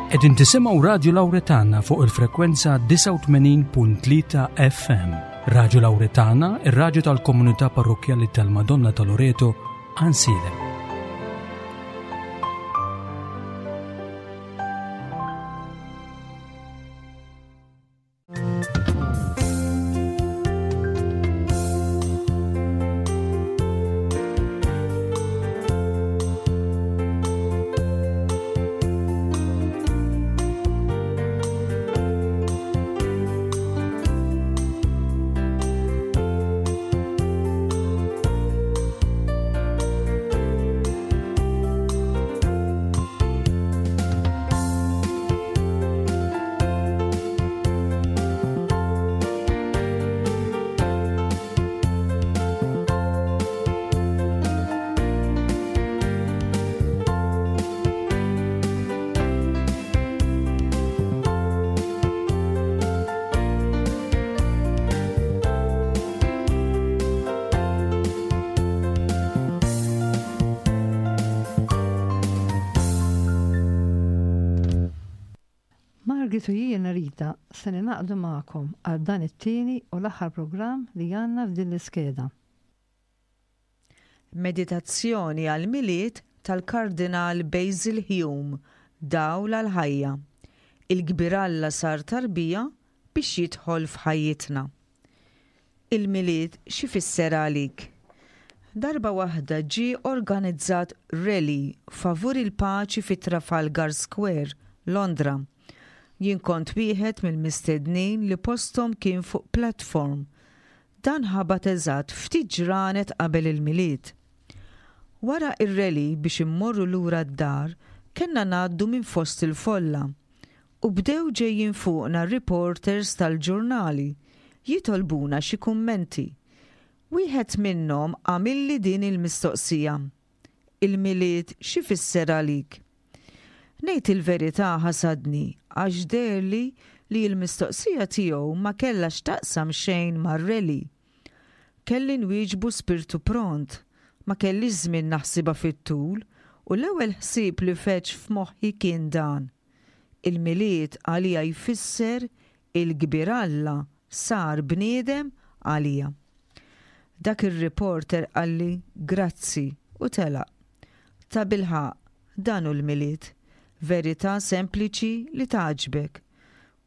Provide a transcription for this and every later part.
Qegħdin tisimgħu Radju Lawretana fuq il-frekwenza 89.3 FM. Radju Lawretana, ir-radju tal-komunità parrokkjali tal-Madonna ta' Loreto, Ansilem. Margit u jiena Rita se ningħaqdu magħkom għal dan it-tieni u l-aħħar programm li għandna f'din l-iskeda. Meditazzjoni għall-Milied tal-Kardinal Basil Hume, Dawl għall-Ħajja. Il-Kbir Alla sar tarbija biex jidħol f'ħajjitna. Il-Milied x'ifisser għalik? Darba waħda ġie organizzat rally favur il-paċi fi Trafalgar Square, Londra. Jien kont wieħed mill-mistednin li posthom kien fuq platform. Dan ħabat eżatt ftit ġranet qabel il-Milied. Wara r-rally biex immorru lura d-dar kellna ngħaddu minn fost il-folla. U bdew ġejjin fuqna r-reporters tal-ġurnali jitolbuna xi kummenti. Wieħed minnhom għamilli din il-mistoqsija, Il-Milied x'ifisser għalik? Ngħid il-verità ħasadni għax deherli li l-mistoqsija tiegħu ma kellha x'taqsam xejn mar-rally. Kelli nwieġbu spirtu pront, ma kellix żmien naħsibha fit-tul u l-ewwel ħsieb li feġġ f'moħħi kien dan, Il-Milied għalija jfisser il-kbir Alla sar bniedem għalija. Dak ir-reporter qalli grazzi u telaq. Tabilħaqq, dan hu l-Milied. Verità sempliċi li tgħaġġbek.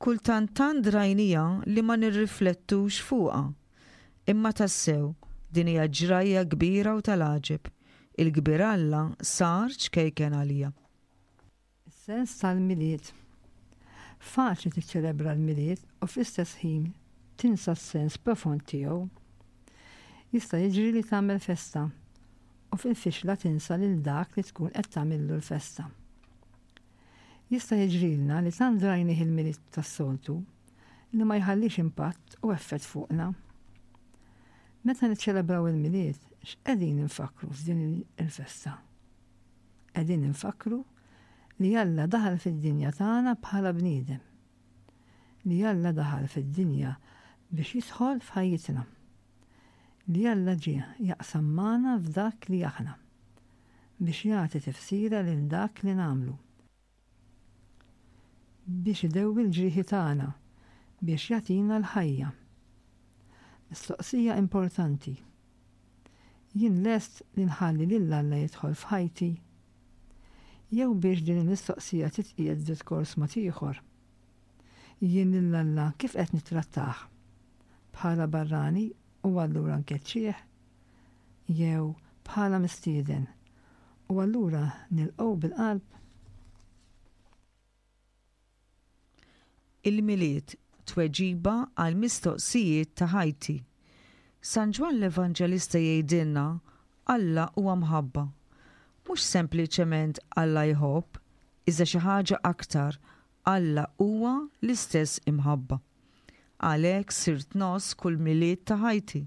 Kultant tant drajniha li ma nirriflettux fuqha. Imma tassew, din hija ġrajja kbira u tal-għaġeb. Il-kbir Alla sar ċkejken għalija. Is-sens tal-Milied. Faċli tiċċelebra l-Milied u fl-istess ħin tinsa s-sens profond tiegħu. Jista' jiġri li tagħmel festa u fil-fixla tinsa lil dak li tkun qed tagħmillu l-festa. Jista' jiġrilna li tant drajnih il-Milied tas-soltu li ma jħallix impatt u effett fuqna. Meta niċċelebraw il-Milied, x'qegħdin infakkru f'din il-festa? Qegħdin infakkru li Alla daħal fid-dinja tagħna bħala bniedem. Li Alla daħal fid-dinja biex jidħol f'ħajjitna. Li Alla ġie jaqsam magħna f'dak li aħna. Biex jagħti tifsira lil dak li nagħmlu. Biex idewwi l-ġrieħi tagħna, biex jagħtina l-ħajja. Mistoqsija importanti. Jien lest li nħalli lil Alla jidħol f'ħajti? Jew biex din il-mistoqsija titqiegħed f'diskors mod ieħor. Jien lil Alla kif qed nittrattah? Bħala barrani u allura nkeċċih? Jew bħala mistieden u allura nilqgħu bil-qalb? Il-Milied, tweġiba għall-mistoqsijiet ta' ħajti. San Ġwann l-Evanġelista jgħidilna, Alla huwa mħabba. Mhux sempliċement Alla jħobb, iżda xi ħaġa aktar, Alla huwa l-istess imħabba. Għalhekk sirt ngħożż kull Milied ta' ħajti.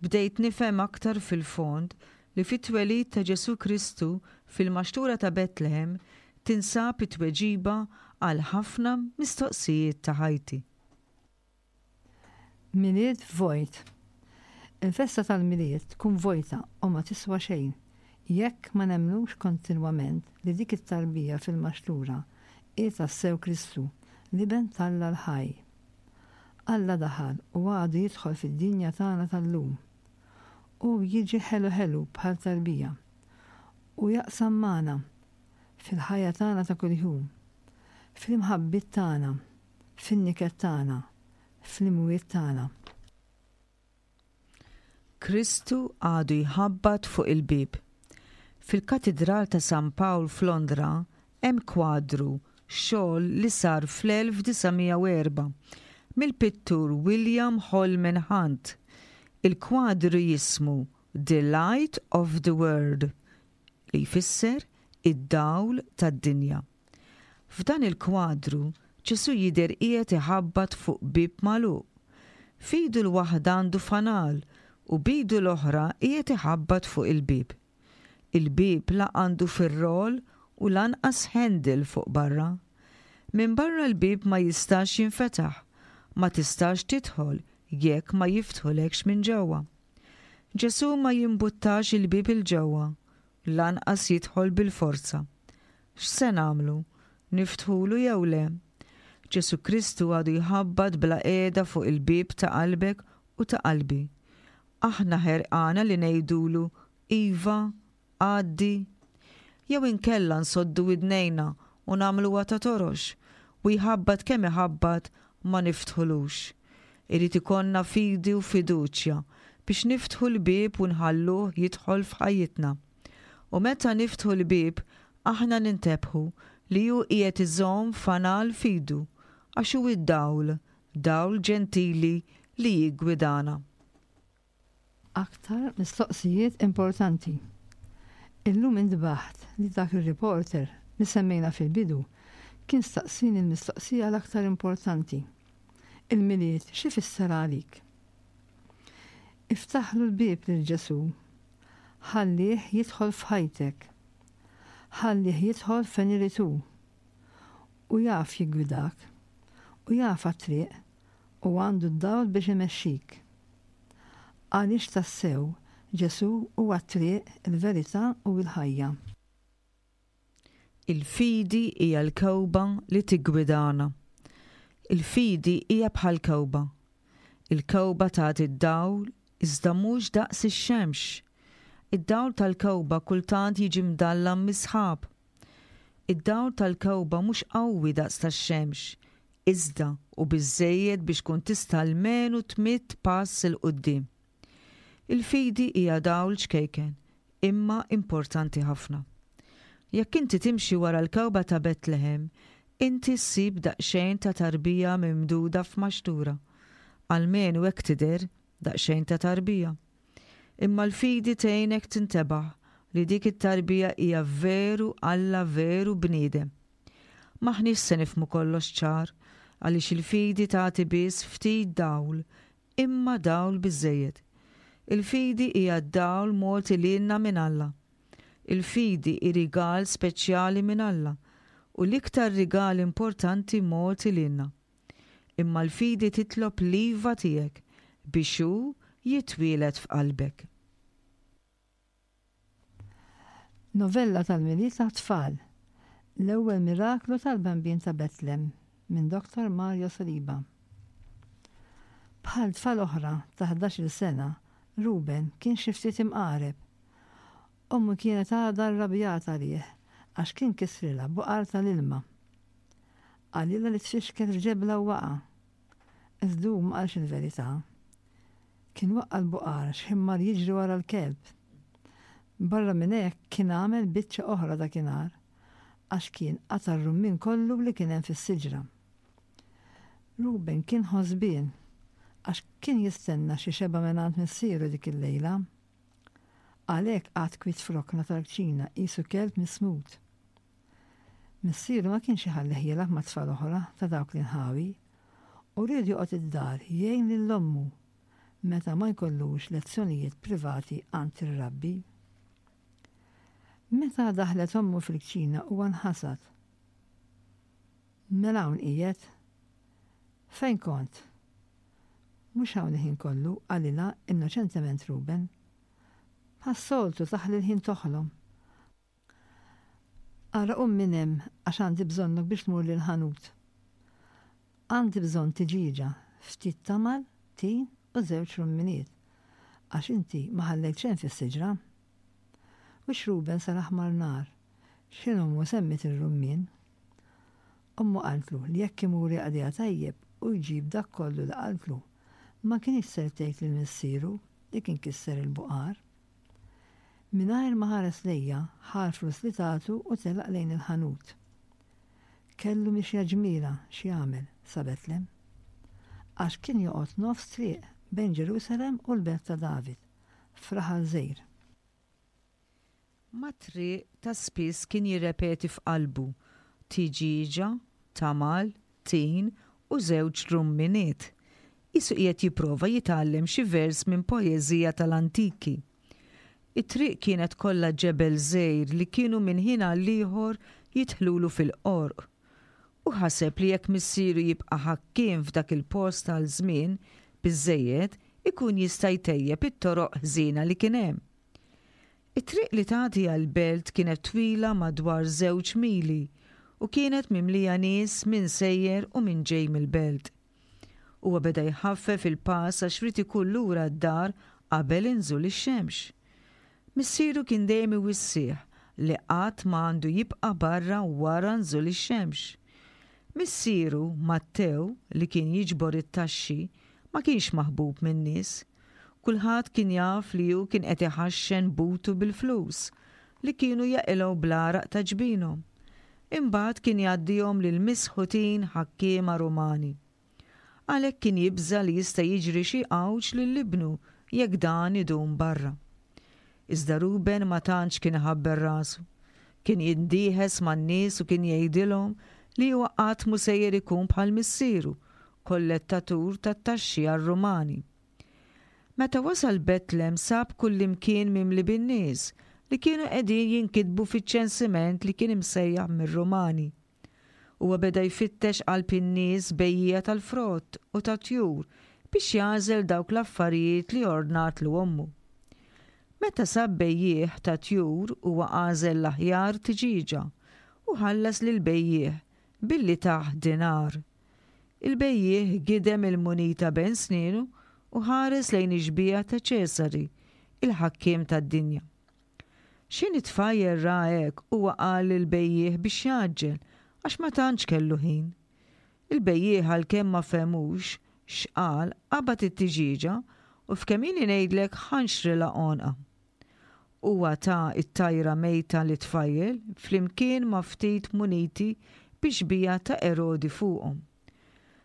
Bdejt nifhem aktar fil-fond li fit-twelid ta' Ġesù Kristu fil-maxtura ta' Betlehem tinsab it-tweġiba għal ħafna mistoqsijiet ta' ħajti. Milied vojt. Il-festa tal-Milied tkun vojta u ma tiswa xejn jekk ma nemmnux kontinwament li dik it-tarbija fil-maxtura. Hi tassew Kristu, l-Iben t'Alla l-ħaj. Alla daħal u għadu jidħol fid-dinja tagħna tal-lum. Hu jiġi ħelu ħelu bħal tarbija u jaqsam magħna fil-ħajja tagħna ta' kuljum, fl-imħabbiet tagħna, fin-niket tagħna, fl-imwiet tagħna. Kristu għadu jħabbat fuq il-bieb. Fil-Katidral ta' San Pawl f'Londra hemm kwadru, xogħol li sar fl-1904 mill-pittur William Holman Hunt. Il-kwadru jismu The Light of the World, li jfisser id-dawl tad-dinja. F'dan il-kwadru, Ġesù jidher qiegħed iħabbat fuq bieb magħluq. F'idu l-waħda għandu fanal u b'idu l-oħra qiegħed iħabbat fuq il-bieb. Il-bieb la għandu firrol u lanqas handle fuq barra. Minn barra l-bieb ma jistax jinfetaħ, ma tistax tidħol jekk ma jiftħulekx minn ġewwa. Ġesù ma jimbuttax il-bieb 'il ġewwa, lanqas jidħol bil-forza. X'se nagħmlu? Niftħulu jew le? Ġesù Kristu għadu jħabbat bla qiegħda fuq il-bieb ta' qalbek u ta' qalbi. Aħna ħerqana li ngħidulu, Iva, għaddi? Jew inkella nsoddu widnejna u nagħmluha ta' torox, u jħabbat kemm iħabbat ma niftħulux. Irid ikollna fidi u fiduċja biex niftħu l-bieb u nħalluh jidħol f'ħajjitna. U meta niftħu l-bieb, aħna nintebħu li hu qiegħed iżomm fanal f'idu, għax hu d-dawl, dawl ġentili li jiggwidana. Aktar mistoqsijiet importanti. Illum intbaħt li dak ir-reporter li semmejna fil-bidu kien staqsieni l-mistoqsija l-aktar importanti. Il-Milied x'ifisser għalik? Iftaħlu l-bieb lil Ġesù. Ħallih jidħol f'ħajtek. Ħallih jidħol fejn irid hu. Hu jaf jiggwidak. Hu jaf għat-triq u għandu d-dawl biex imexxik. Għaliex tassew Ġesù huwa t-triq, il-verità u l-ħajja. Il-fidi hija l-kewba li tiggwidana. Il-fidi hija bħal kewba. Il-kewba tagħti d-dawl iżda mhux daqs ix-xemx. Id-dawl tal-kewba kultant jiġi mdallam mis-sħab. Id-dawl tal-kewba mhux qawwi daqs tax-xemx, iżda hu biżżejjed biex tkun tista' almenu tmidd pass 'il quddiem. Il-fidi hija dawl ċkejken, imma importanti ħafna. Jekk inti timxi wara l-kewba ta' Betlehem, inti ssib daqsxejn ta' tarbija mimduda f'maxtura. Almenu hekk tidher, daqsxejn ta' tarbija. Imma l-fidi tgħinek tintebaħ li dik it-tarbija hija veru Alla veru bniedem. M'aħniex se nifhmu kollox ċar, għaliex il-fidi tagħti biss ftit dawl, imma dawl biżżejjed. Il-fidi hija d-dawl mogħti lilna minn Alla. Il-fidi hi rigal speċjali minn Alla u l-iktar rigal importanti mogħti lilna. Imma l-fidi titlob l-iva tiegħek biex hu jitwieled f'qalbek. Novella tal-Milied għat-Tfal, L-Ewwel Miraklu tal-Bambin ta' Betlem minn Dottor Mario Saliba. Bħal tfal oħra ta' ħdax-il sena, Ruben kien xi ftit imqareb. Ommu kienet għadha rrabjata għalih għax kien kissrilha buqar tal-ilma. Qalilha li tfixkel f'ġebla u waqa'. Iżda hu ma qalx il-verità. Kien waqqa' l-buqar x'ħin mar jiġri wara l-kelb. Barra minn hekk kien għamel biċċa oħra dakinhar għax kien qata' r-rummien kollu li kien hemm fis-siġra. Ruben kien ħosbien għax kien jistenna xi xebgħa mingħand missieru dik il-lejla. Għalhekk qagħad kwiet f'rokna tal-kċina qisu kelb mismut. Missieru ma kienx iħallih jilgħab ma' tfal oħra ta' dawk l-inħawi u ried joqgħod id-dar jgħin lil ommu meta ma jkollux lezzjonijiet privati għand ir-rabbi. Meta daħlet ommu fil-kċina huwa nħasad. Mela hawn qiegħed? Fejn kont? Mhux hawn il-ħin kollu, qalilha innoċentement Ruben. Bħas-soltu taħli l-ħin toħlom. Ara qum minn hemm għax għandi bżonnok biex tmur l-ħanut. Għandi bżonn tiġieġa, ftit tamal, tin u żewġ rumminiet. Għax inti ma ħallejt xejn fis-siġra. Wiċċ Ruben sar aħmar nar. X'ħin ommu semmiet ir-rummien. Ommu qaltlu li jekk imur jaqdiha tajjeb u jġib dak kollu li qaltlu, ma kinitx ser tgħid lil missieru li kien kisser il-buqar. Mingħajr ma ħares lejha, ħa l-flus li tatu u telaq lejn il-ħanut. Kellu mixja ġmielha x'jagħmel sa Betlem. Għax kien joqgħod nofs triq bejn Ġerusalemm u l-belt ta' David, f'raħal żgħir. Mat-triq ta' spiss kien jirrepeti f'qalbu, Tiġieġa, tamal, tin u żewġ rumminiet. Qisu qiegħed jipprova jitgħallem xi vers minn poeżija tal-antiki. It-triq kienet kollha ġebel żgħir li kienu minn ħin għall-ieħor jidħlulu fil-qorq. Hu ħaseb li jekk missieru jibqa' ħakkiem f'dak il-post għal żmien biżżejjed ikun jista' jtejjeb it-toroq ħżiena li kien hemm. It-triq li tagħti għall-belt kienet twila madwar żewġ mili u kienet mimlija nies min sejjer u min ġej mill-belt. Huwa beda jħaffef il-pass għax ried ikun lura d-dar qabel inżul ix-xemx. Missieru kien dejjem iwissih li qatt ma għandu jibqa' barra wara nżul ix-xemx. Missieru, Mattew, li kien jiġbor it-taxxi, ma kienx maħbub min-nies. Kulħadd kien jaf li hu kien qed iħaxxen butu bil-flus, li kienu jaqilgħu bl-għaraq ta' ġbinhom. Imbagħad kien jgħaddihom lill-misħutin ħakkiema Rumani. Għalhekk kien jibża' li jista' jiġri xi għawġ lil ibnu jekk dan idum barra. Iżda Ruben ma tantx kien iħabbel rasu. Kien jindieħes man-nies u kien jgħidilhom li huwa qatt mhu sejjer ikun bħal missieru, kollettatur tat-taxxi għar-Rumani. Meta wasal Betlem sab kullimkien mimli bin-nies li kienu qegħdin jinkitbu fiċ-ċensiment li kien imsejjaħ mir-Rumani. Huwa beda jfittex qalb in-nies bejjiegħa tal-frott u tat-tjur biex jagħżel dawk l-affarijiet li ordnatlu ommu. Meta sab bejjiegħ tat-tjur huwa għażel l-aħjar tiġieġa u ħallas lill-bejjiegħ billi tah dinar. Il-bejjiegħ gidem il-munita bejn snienu u ħares lejn ix-xbieha ta' Ċesari, il-ħakkiem tad-dinja. X'ħin it-tfajjel ra hekk huwa qal lill-bejjiegħ biex jgħaġġel għax ma tantx kellu ħin. Il-bejjiegħ għalkemm ma fehmux x'qal qabad it-tiġieġa u f'kemm ili ngħidlek ħanxrilha għonqha. Huwa ta t-tajra mejta lit-tfajjel flimkien ma' ftit muniti bi xbieha ta' Erodi fuqhom.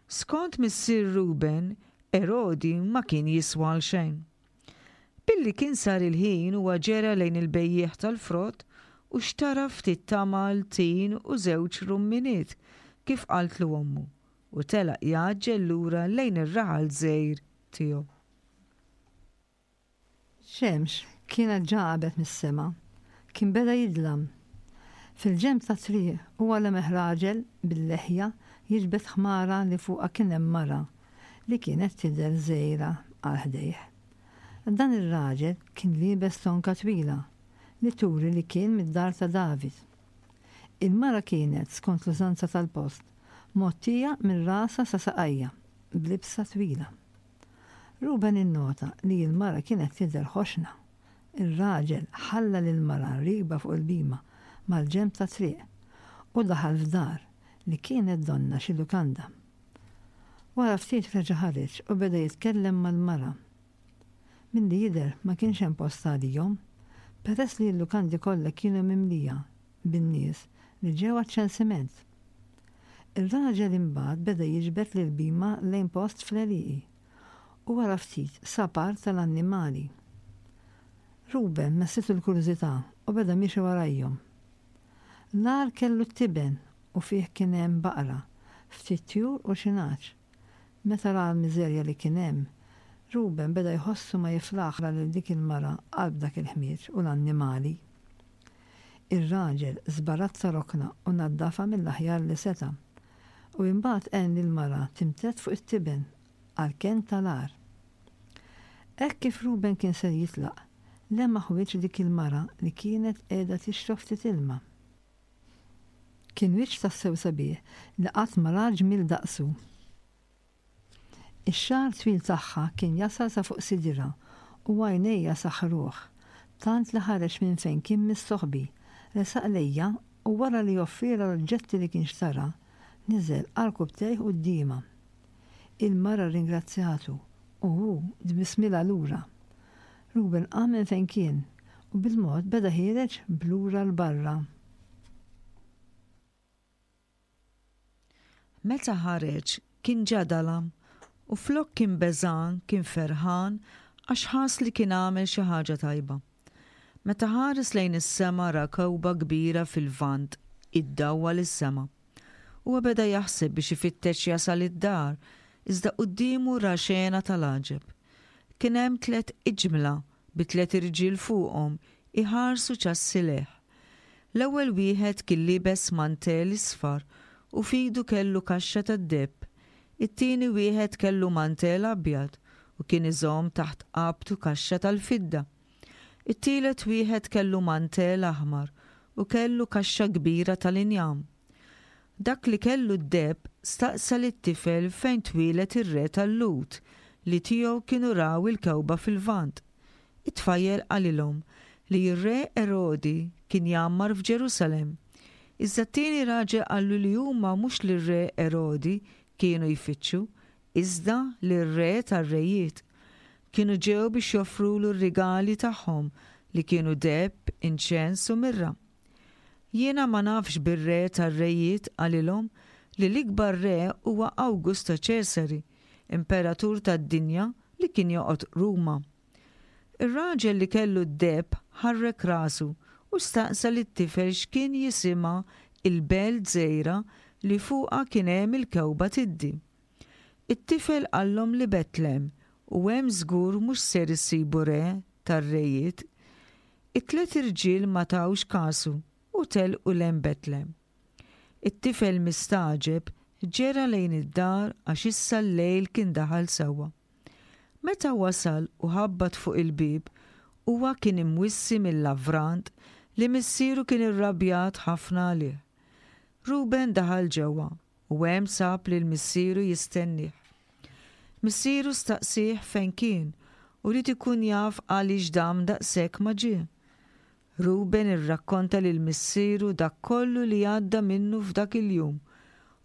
Skont missier Ruben, Erodi ma kien jiswa għal xejn. Billi kien sar il-ħin huwa ġera lejn il-bejjiegħ tal-frott u xtara ftit tamal, tin u żewġ rumminiet kif qaltlu ommu u telaq jgħaġġel lura lejn ir-raħal żgħir tiegħu. Ix-xemx kienet ġa għabet mis-sema. Kien beda jidlam. Fil-ġenb tat-triq huwa lemeħ raġel bil-leħja jiġbed ħmara li fuqha kien hemm mara li kienet tidher żgħira għal ħdejh. Dan ir-raġel kien liebes tonka twila li turi li kien mid-dar ta' David. Il-mara kienet, skont l-użanza tal-post, mgħottija minn rasha sa saqajha b'libsa twila. Ruben innota li l-mara kienet tidher ħoxna. Ir-raġel ħalla lill-mara riekba fuq il-bhima mal-ġenb tat-triq u daħal f'dar li kienet donnha xi lukanda. Wara ftit reġa' ħareġ u beda jitkellem mal-mara. Milli jidher ma kienx hemm post għalihom, peress li l-lukandi kollha kienu mimlija bin-nies li ġew għaċ-ċensiment. Ir-raġel imbagħad beda jiġbed lill-bhima lejn post fl-għelieqi u wara ftit sab art tal-annimali. Ruben messitu l-kurżità u beda miexi warajhom. L-għar kellu t-tiben u fih kien hemm baqra, ftit tjur u xi nagħaġ. Meta ra l-miżerja li kien hemm, Ruben beda jħossu ma jiflaħ ra lil dik il-mara qalb dak il-ħmieġ u l-annimali. Ir-raġel żbarazza rokna u naddafha mill-aħjar li seta', u imbagħad għen lill-mara timtedd fuq it-tiben għall-kenn tal-għar. Hekk kif Ruben kien ser jitlaq, lemaħ wiċċ dik il-mara li kienet qiegħda tixrob ftit ilma. Kien wiċċ tassew sabiħ li qatt ma ra ġmiel daqsu. Ix-xagħar twil tagħha kien jasal sa fuq sidirha u għajnejja saħħruh, tant li ħareġ minn fejn kien mistoħbi, resaq lejja u wara li offrielha l-oġġetti li kien xtara, niżel għarkupptejh quddiemha. Il-mara rringrazzjatu u hu tbissmilha lura. Ruben qam minn fejn kien u bil-mod beda ħiereġ b'lura 'l barra. Meta ħareġ kien ġa dalam u flok kien beżgħan kien ferħan għax ħass li kien għamel xi ħaġa tajba. Meta ħares lejn is-sema ra kewba kbira fil-Lvant iddawwal is-sema. Huwa beda jaħseb biex ifittex jasal id-dar iżda quddiemu ra xena tal-għaġeb. Kien hemm tlett iġmla bi tlett irġiel fuqhom iħarsu ċassi lejh. L-ewwel wieħed kien liebes mantell isfar u f'idu kellu kaxxa tad-deheb. It-tieni wieħed kellu mantell abjad u kien iżomm taħt qabtu kaxxa tal-fidda. It-tielet wieħed kellu mantell aħmar u kellu kaxxa kbira tal-injam. Dak li kellu d-deheb staqsa lit-tifel fejn twieled ir-re tal-Lhud li tiegħu kienu raw il-kewba fil-Lvant. It-tfajjel qalilhom li r-re Erodi kien jgħammar f'Ġerusalemm. Iżda t-tieni raġel qallu li huma mhux lir-re Erodi kienu jfittxu, iżda lir-Re tar-rejiet. Kienu ġew biex joffrulu r-rigali tagħhom li kienu deheb, inċens u mirra. Jiena ma nafx bir-Re tar-rejiet, qalilhom, li l-ikbar re huwa Awgusto Ċesari, imperatur tad-dinja li kien joqgħod Ruma. Ir-raġel li kellu d-deheb ħarrek rasu u staqsa lit-tifel x'kien jisimha l-belt żgħira li fuqha kien hemm il-kewba tiddi. It-tifel qallhom li Betlem u hemm żgur mhux ser issibu re tar-rejiet. It-tliet irġiel ma tawx kasu u telqu 'l hemm Betlem. It-tifel mistagħġeb ġera lejn id-dar għax issa l-lejl kien daħal sewwa. Meta wasal u ħabbat fuq il-bieb, huwa kien imwissi mil-lavrant li missieru kien irrabjat ħafna għalih. Ruben daħal ġewwa u hemm sab lil missieru jistennieh. Missieru staqsieh fejn kien u ried ikun jaf għaliex dam daqshekk ma ġie. Ruben irrakkonta lil missieru dak kollu li għadda minnu f'dak il-jum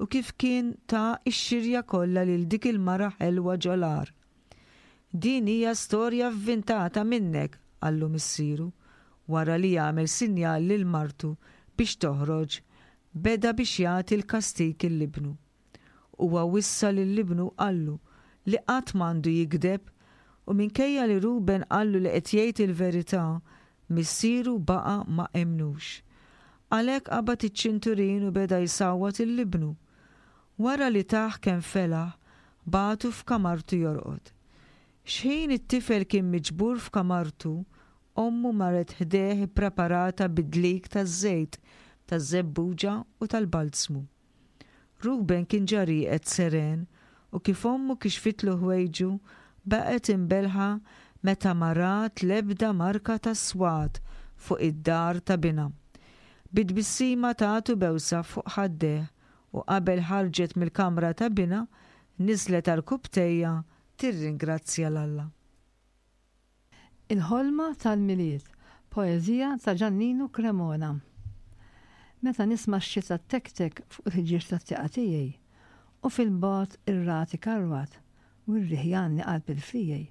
u kif kien ta x-xirja kollha lil dik il-mara ħelwa ġol-għar. Din hija storja vvintata minnek, qallu missieru, wara li għamel sinjal lil martu biex toħroġ, beda biex jagħti l-kastig 'l ibnu. Huwa wissa lil ibnu u qallu li qatt m'għandu jigdeb, u minkejja li Ruben qallu li qed jgħid il-verità, missieru baqa' ma emmnux. Għalhekk qabad iċ-ċinturin u beda jsawwat 'il ibnu. Wara li tah kemm felaħ, bagħtu f'kamartu jorqod. X'ħin it-tifel kien miġbur f'kamartu, ommu marret ħdejh ippreparata bid-dlik taż-żejt taż-żebbuġa u tal-balzmu. Ruben kien ġa rieqed seren u kif ommu kixfitlu ħwejġu baqgħet imbellħa meta ma rat l-ebda marka ta' swat fuq id-dar ta' binha. Bi tbissima tatu bewsa fuq ħaddejh u qabel ħarġet mill-kamra ta' binha niżlet għarkupptejha tirringrazzja 'l Alla. Il-Ħolma tal-Milied, poeżija ta' Ġanninu Cremona Meta nisma' x-xita ttektek fuq il-ħġieġ tat-tieqa tiegħi, u fil-bogħod ir-ragħad ikarwat u r-riħ jgħanni qalb il-friegħi,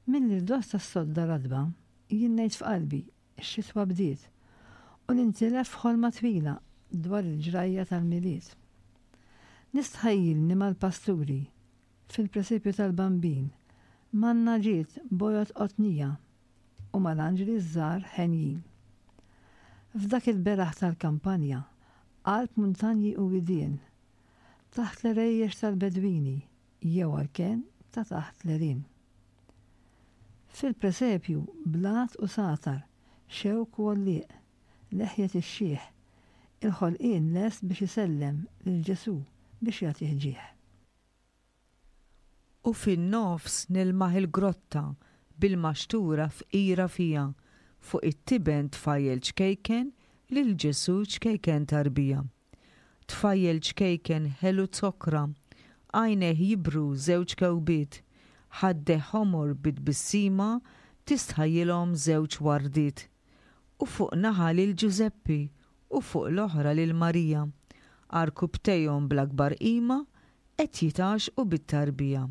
mill-irdoss tas-sodda ratba, jien ngħid f'qalbi, x-xitwa bdiet, u nintilef f'ħolma twila dwar il-ġrajja tal-Milied. Nistħajjilni mal-pasturi, Fil-presepju tal-Bambin, man-nagħġiet bojod qotnija u mal-anġli ż-żgħar henjin. F'dak il-beraħ tal-kampanja, qalb muntanji u widien, taħt l-għerejjex tal-bedwini jew għall-kenn ta' taħt l-għerien. Fil-presepju blat u sagħtar, xewk u għollieq, leħjet ix-xiħ, il-ħolqien lest biex isellem lil Ġesù biex jagħtih ġieħ. U fin-nofs nilmaħ il-grotta bil-maxtura fqira fiha, fuq it-tiben tfajjel ċkejken lil Ġesù ċkejken tarbija. Tfajjel ċkejken ħelu zokkra, għajnejh jibru żewġ kewbiet, ħaddeh ħomor bi tbissima tistħajjilhom żewġ wardiet. U fuq naħa lil Ġużeppi u fuq l-oħra lil Marija, għarkupptejhom bl-akbar qima qed jitgħaxxqu bit-tarbija.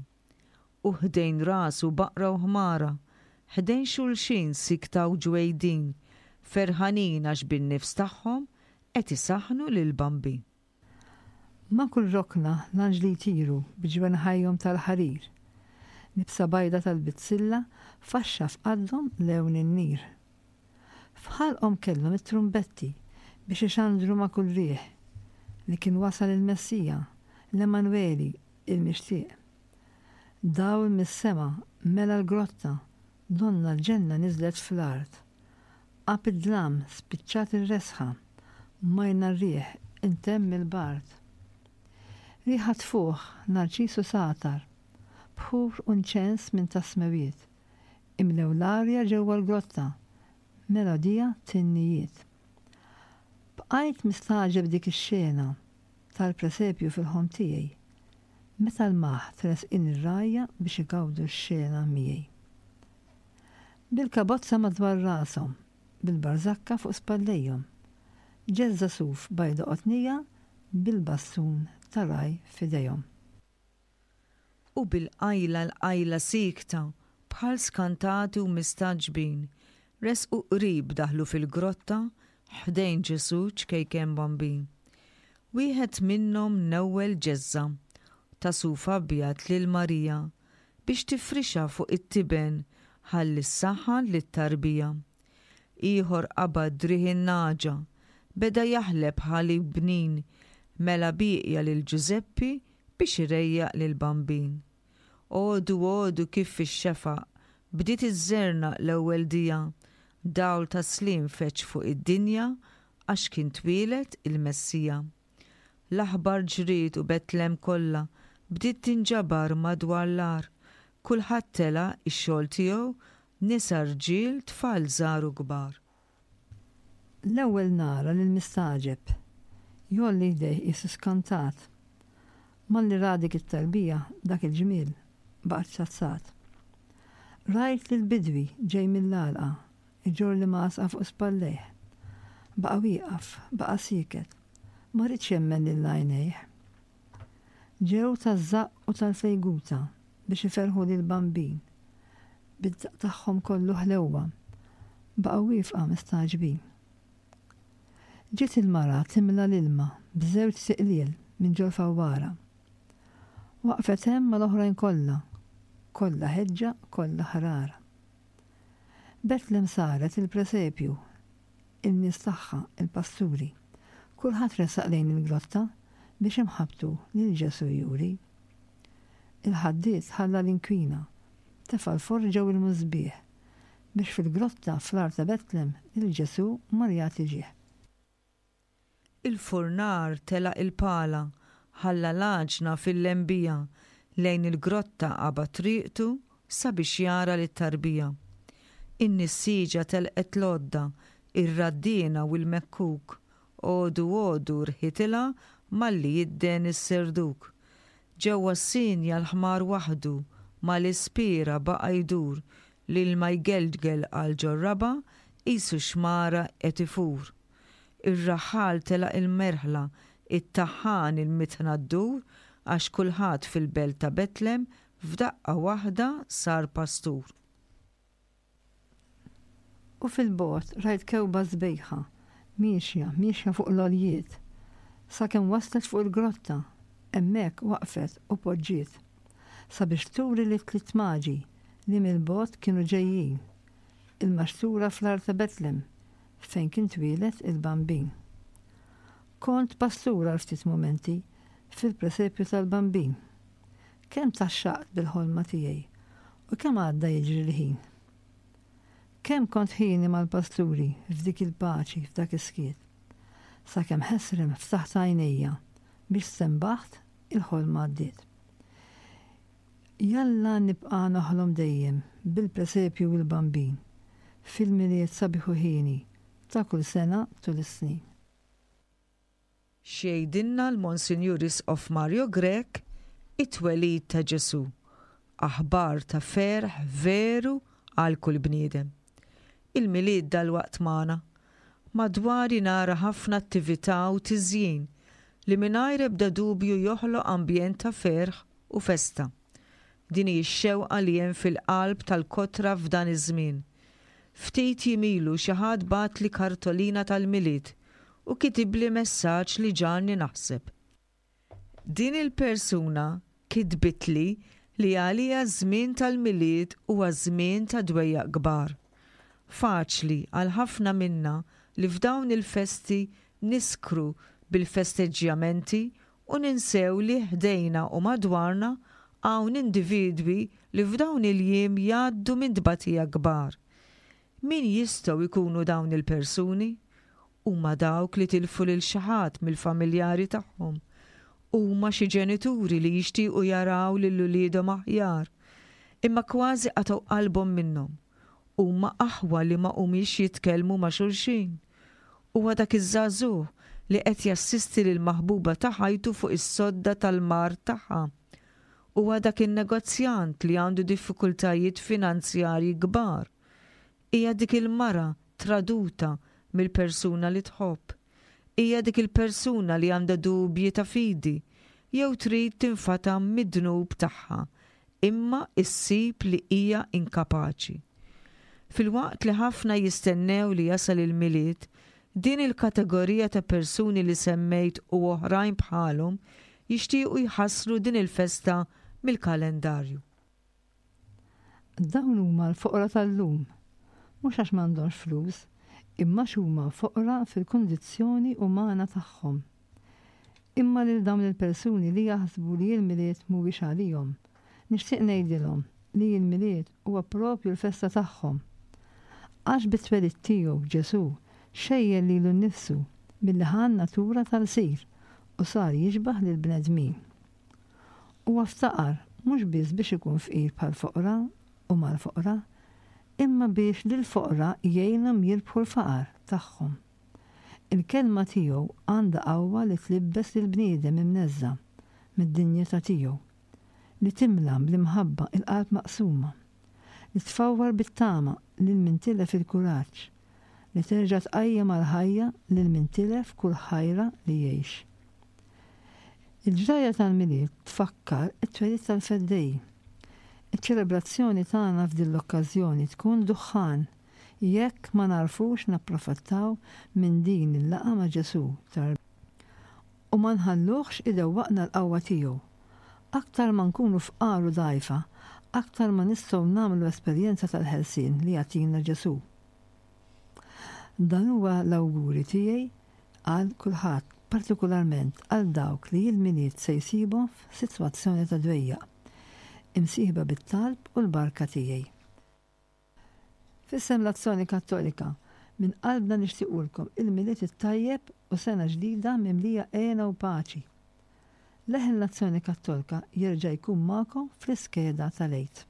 U ħdejn rasu baqra u ħmara, ħdejn xulxin sikta u ġwejdin, ferħanin għax bin-nifs tagħhom qed isaħħnu lill-Bambin. Ma' kull rokna l-anġli jtiru bi ġwenħajhom tal-ħarir. Libsa bajda tal-bizzilla faxxa f'qaddhom lewn in-nir. F'ħalqhom kellhom it-trumbetti biex ixandru ma' kull riħ li kien wasal il-Messija, l-Emmanweli, il-Mixtieq. Dawl mis-sema mela l-grotta, donnha l-ġenna niżlet fl-art. Għab id-dlam, spiċċat ir-resħa, majna r-riħ, intemm il-bard. Riħa tfuħ, narċis u sagħtar, bħur u nċens minn tas-smewiet, imlew l-arja ġewwa l-grotta, melodija tinnijiet. Bqajt mistagħġeb dik ix-xena tal-presepju fil-ħolm tiegħi, meta lmaħt resqin ir-rgħajja biex igawdu x-xena miegħi. Bil-kabozza madwar rashom, bil-barżakka fuq spallejhom. Ġeżża suf bajda qotnija bil-bastun ta' ragħaj f'idejhom. U bil-qajla l-qajla siekta, bħal skantati u mistagħġbin, resqu qrib daħlu fil-grotta ħdejn Ġesù ċkejken bambin. Wieħed minnhom newwel ġeżża ta' suf abjad lil Marija biex tifrixha fuq it-tiben ħalli ssaħħan lit-tarbija. Ieħor qabad driegħ in-nagħġa, beda jaħleb ħalib bnin mela bieqja lil Ġużeppi biex irejjaq lill-Bambin. Għodu għodu kif fix-xefaq bdiet iżżernaq l-ewwel dija, dawl ta' sliem feġġ fuq id-dinja għax kien twieled il-Messija. L-aħbar ġriet u Betlem kollha bdiet tinġabar madwar l-għar. Kulħadd telaq ix-xogħol tiegħu, nisa, rġiel, tfal żgħar u kbar. L-ewwel nara lill-mistagħġeb jgħolli jdejh qisu skantat. Malli ra dik it-tarbija, dak il-ġmiel, baqa' ċċazzat. Rajt lill-bidwi ġej mill-għalqa Iġorr l-imgħasqa fuq spallejh. Baqa' wieqaf, baqa' sieket. Ma riedx jemmen lil għajnejh. Ġew taż-żaqq u tal-fejguta biex iferrħu lill-Bambin. Bid-daqq tagħhom kollu ħlewwa, baqgħu wieqfa mistagħġbin. Ġiet il-mara timla l-ilma b'żewġ siqliel minn ġol-fawwara. Waqfet hemm mal-oħrajn kollha, kollha ħeġġa, kollha ħrara. Betlem saret il-presepju, in-nies tagħha, il-pasturi. Kulħadd resaq lejn il-grotta biex imħabbtu lil Ġesù juri. Il-ħaddied ħalla l-inkwina, tefa' l-forġa u l-musbieħ biex fil-grotta fl-għar ta' Betlem lil Ġesù mar jagħti ġieħ. Il-furnar telaq il-pala, ħalla l-għaġna fil-lembija, lejn il-grotta qabad triqtu sabiex jara lit-tarbija. In-nissieġa telqet l-għodda, ir-raddiena u l-mekkuk, għodu għodu rħitilha malli jidden is-serduk. Ġewwa s-sienja l-ħmar waħdu mal-ispiera baqa' jdur, l-ilma jgelgel għal ġor-raba' qisu xmara qed ifur. Ir-raħħal telaq il-merħla, it-taħħan il-mitħna ddur, għax kulħadd fil-belt ta' Betlem f'daqqa waħda sar pastur. U fil-bogħod rajt kewba sbejħa, miexja, miexja fuq l-għoljiet, sakemm waslet fuq il-grotta, hemmhekk waqfet u poġġiet, sabiex turi lit-tliet maġi li mill-bogħod kienu ġejjin, il-maxtura fl-għar ta' Betlem, fejn kien twieled il-Bambin. Kont pastur għal ftit mumenti fil-presepju tal-Bambin. Kemm tgħaxxaqt bil-ħolma tiegħi u kemm għadda jiġri l-ħin. Kemm kont ħieni mal-pasturi f'dik il-paċi, f'dak is-skiet. Sakemm ħesrem ftaħt għajnejja biex stenbaħt il-ħolma għaddiet. Jalla nibqa' noħlom dejjem bil-presepju u l-Bambin, fil-Milied sabiħ u hieni ta' kull sena tul is-snin. X'jgħidilna l-Monsinjur Isqof Mario Grech, It-twelid ta' Ġesù, aħbar ta' ferħ veru għal kull bniedem. Il-Milied dalwaqt magħna. Madwari nara ħafna attività u tiżjin li mingħajr ebda dubju joħloq ambjent ta' ferħ u festa. Din hi x-xewqa li hemm fil-qalb tal-kotra f'dan iż-żmien. Ftit jiem ilu xi ħadd bagħatli kartolina tal-Milied u kitibli messaġġ li ġagħalni naħseb. Din il-persuna kitbitli li għaliha ż-żmien tal-Milied huwa żmien ta' dwejjaq kbar. Faċli għal ħafna minna li f'dawn il-festi niskru bil-festeġġjamenti u ninsew li ħdejna u madwarna hawn individwi li f'dawn il-jiem jgħaddu minn tbatija kbar. Min jistgħu jkunu dawn il-persuni? Huma dawk li tilfu lil xi ħadd mill-familjari tagħhom. Huma xi ġenituri li jixtiequ jaraw lil uliedhom aħjar, imma kważi qatgħu qalbhom minnhom. Huma aħwa li ma humiex jitkellmu ma' xulxin. Huwa dak iż-żagħżugħ li qed jassisti lill-maħbuba ta' ħajtu fuq is-sodda tal-mard tagħha. Huwa dak in-negozjant li għandu diffikultajiet finanzjarji kbar. Hija dik il-mara traduta mill-persuna li tħobb. Hija dik il-persuna li għandha dubji ta' fidi jew trid tinfatam mid-dnub tagħha imma issib li hija inkapaċi. Filwaqt li ħafna jistennew li jasal il-Milied, din il-kategorija ta' persuni li semmejt u oħrajn bħalhom jixtiequ jħassru din il-festa mill-kalendarju. Dawn huma l-foqra tal-lum, mhux għax m'għandhomx flus, imma għax huma foqra fil-kundizzjoni umana tagħhom. Imma lil dawn il-persuni li jaħsbu li l-Milied mhuwiex għalihom, nixtieq ngħidilhom li l-Milied huwa proprju l-festa tagħhom. Għax bit-twelid tiegħu Ġesù xejjen lilu nnifsu billi ħa n-natura tal-lsir u sar jixbah lill-bnedmin. Huwa ftaqar mhux biss biex ikun fqir bħall-foqra u mal-foqra, imma biex lill-foqra jgħinhom jirbħu l-faqar tagħhom. Il-kelma tiegħu għandha qawwa li tlibbes lill-bniedem imneżża' mid-dinjità tiegħu, li timla bl-imħabba l-qalb maqsuma, li tfawwar bit-tama lil min tilef il-kuraġġ, li terġa' tqajjem għall-ħajja lil min tilef kull ħajra li jgħix. Il-ġrajja tal-Milied tfakkar it-twelid tal-Feddej. Iċ-ċelebrazzjoni tagħna f'din l-okkażjoni tkun duħħan jekk ma nagħrfux napprofittaw minn din il-laqgħa ma' Ġesù u ma nħalluhx idewwaqna l-qawwa tiegħu. Aktar ma nkunu fqar u dgħajfa, aktar ma nistgħu nagħmlu esperjenza tal-ħelsien li jagħtina Ġesù. Dan huwa l-awguri tiegħi għal kulħadd, partikularment għal dawk li l-Milied se jsibhom f'sitwazzjoni ta' dwejjaq. Imsieħba bit-talb u l-barka tiegħi. F'isem l-Azzjoni Kattolika, minn qalbna nixtiequlkom il-Milied it-tajjeb u sena ġdida mimlija hena u paċi. Leħen l-Azzjoni Kattolka jerġa' jkun magħkom fl-iskeda tal-Għid.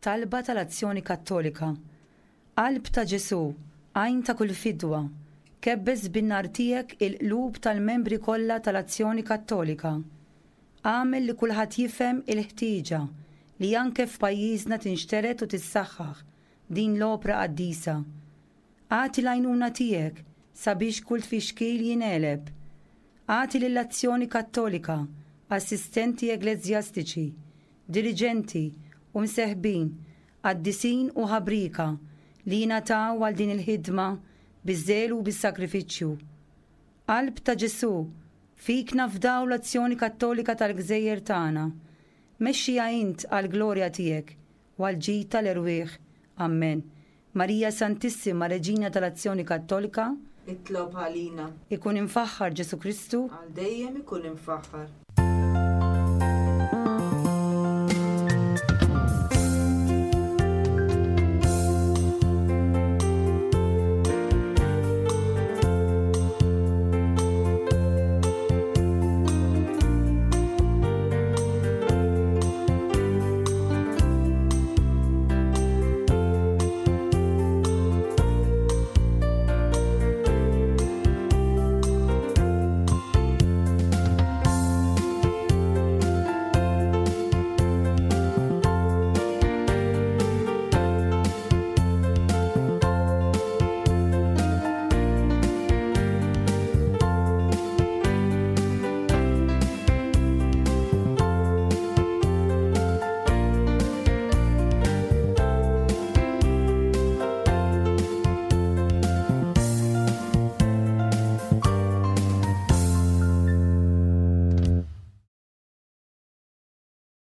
Talba tal-Azzjoni Kattolika Qalb ta' Ġesù, għajn ta' kull fidwa, kebbes bin-nar tiegħek il-qlub tal-membri kollha tal-Azzjoni Kattolika. Agħmel li kulħadd jifhem il-ħtieġa li anke f'pajjiżna tinxtered u tissaħħaħ din l-opra qaddisa. Agħti l-għajnuna tiegħek sabiex kull tfixkil jingħeleb. Agħti lill-Azzjoni Kattolika assistenti egleżjastiċi, diriġenti u mseħbin, qaddisin u ħabrieka li jingħataw għal din il-ħidma biż-żelu u bis-sagrifiċċju. Qalb ta' Ġesù, fik nafdaw l-Azzjoni Kattolika tal-gżejjer tagħna. Mexxiha int għall-glorja tiegħek u għall-ġid tal-erwieħ. Ammen. Marija Santissima, Reġina tal-Azzjoni Kattolika, Itlob għalina. Ikun imfaħħar Ġesù Kristu. Għal dejjem ikun imfaħħar.